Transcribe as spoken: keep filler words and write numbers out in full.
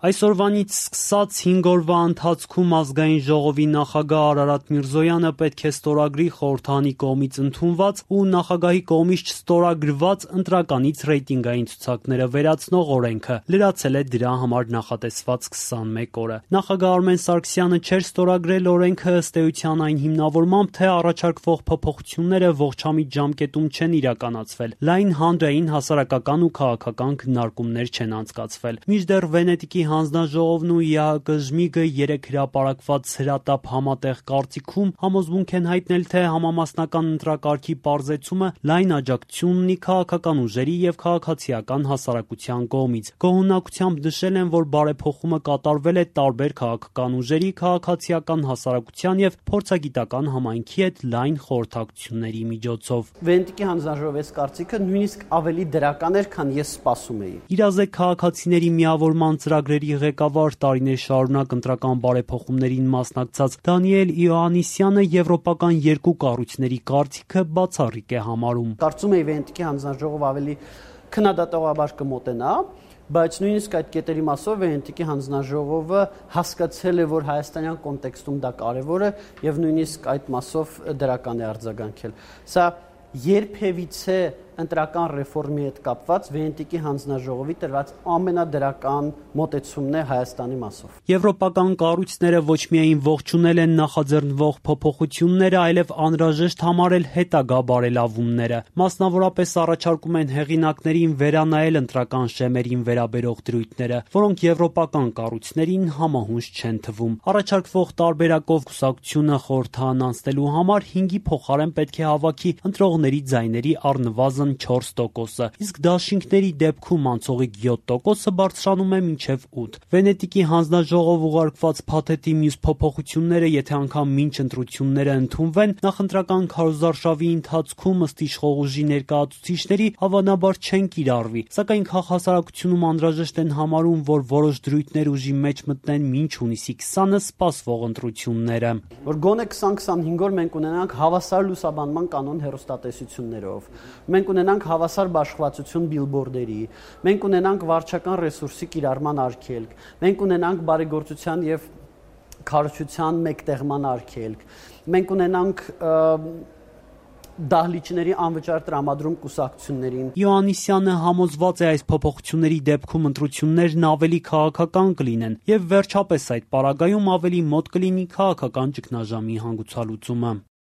Այսօրվանից սկսած հինգ օրվա ընթացքում Ազգային ժողովի նախագահ Արարատ Միրզոյանը պետք է ստորագրի խորհրդարանի կողմից ընդունված ու նախագահի կողմից չստորագրված ընտրականից ռեյտինգային ցուցակները վերացնող օրենքը, լրացել է դրա համար նախատեսված քսանմեկ օրը։ Նախագահ Արմեն Սարգսյանը չէր ստորագրել օրենքը ըստ էության այն հիմնավորմամբ, թե առաջարկվող փոփոխությունները ողջամիտ ժամկետում չեն իրականացվել, լայն հանրային, հասարակական ու քաղաքական քննարկումներ չեն անցկացվել։ Մինչդեռ Վենետիկի հանձնաժողովն ու ԵԱՀԿ-ԺՄԻԳ-ը երեկ հրապարակված հրատապ համատեղ կարծիքում համոզմունք են հայտնել, թե համամասնական ընտրակարգի պարզեցումը լայն աջակցություն ունի քաղաքական ուժերի եւ քաղաքացիական հասարակության կողմից։ Գոհունակությամբ նշել են, որ բարեփոխումը կատարվել է տարբեր քաղաքական ուժերի, քաղաքացիական հասարակության եւ փորձագիտական համայնքի հետ լայն խորհրդակցությունների միջոցով։ Վենետիկի հանձնաժողովի կարծիքը նույնիսկ ավելի դրական էր, քան ես սպասում էի։ Իրազեկ քաղաքացիների միավորման ծրագրերի ղեկավար, տարիներ շարունակ ընտրական բարեփոխումներին մասնակցած Դանիել Իոաննիսյանը եվրոպական երկու կառույցների կարծիքը բացառիկ է համարում։ Կարծում էի Վենետիկի հանձնաժողովը ավելի քննադատողաբար կմոտենա, բայց նույնիսկ այդ կետերի մասով Վենետիկի հանձնաժողովը հասկացել է, որ հայաստանյան կոնտեքստում դա կարևոր է եւ նույնիսկ այդ մասով դրական է արձագանքել։ Սա երբևիցե ընտրական ռեֆորմի հետ կապված Վենետիկի հանձնաժողովի տրված ամենադրական մոտեցումն է Հայաստանի մասով։ Եվրոպական կառույցները ոչ միայն ողջունել են նախաձեռնվող փոփոխությունները, այլև անհրաժեշտ համարել հետագա բարելավումները։ Մասնավորապես առաջարկում են հեղինակներին վերանայել ընտրական շեմերին վերաբերող դրույթները, որոնք եվրոպական կառույցներին համահունչ չեն թվում։ Առաջարկվող տարբերակով կուսակցությունը խորհրդարան անցնելու համար հինգի փոխարեն պետք է հավաքի ընտրողների ձայների առնվազն չորս տոկոսը, իսկ դաշինքների դեպքում անցողիկ յոթ տոկոսը բարձրանում է մինչև ութ։ Վենետիկի հանձնաժողով ուղարկված փաթեթի մյուս փոփոխությունները, եթե անգամ մինչ ընտրությունները ընդունվեն, նախընտրական քարոզարշավի ընթացքում ըստ իշխող ուժի ներկայացուցիչների հավանաբար չեն կիրառվի, սակայն քաղաքասարակությունում անհրաժեշտ են համարում, որ որոշ դրույթներ ուժի մեջ մտնեն մինչ հունիսի քսանը սպասվող ընտրությունները։ Որ գոնե քսան քսանհինգ օր մենք ունենանք հավասար լուսաբանման կանոն հեռուստատեսություններով, մենք ունենանք հավասար բաշխվածություն բիլբորդերի, մենք ունենանք վարչական ռեսուրսի կիրառման արգելք, մենք ունենանք բարեգործության եւ քարոզչության մեկտեղման արգելք, մենք ունենանք դահլիճների անվճար տրամադրում կուսակցություններին։ Իոաննիսյանը համոզված է այս փոփոխությունների դեպքում ընտրություններն ավելի քաղաքական կլինեն եւ վերջապես այդ պարագայում ավելի մոտ կլինի քաղաքական ճգնաժամի հանգուցալուծումը։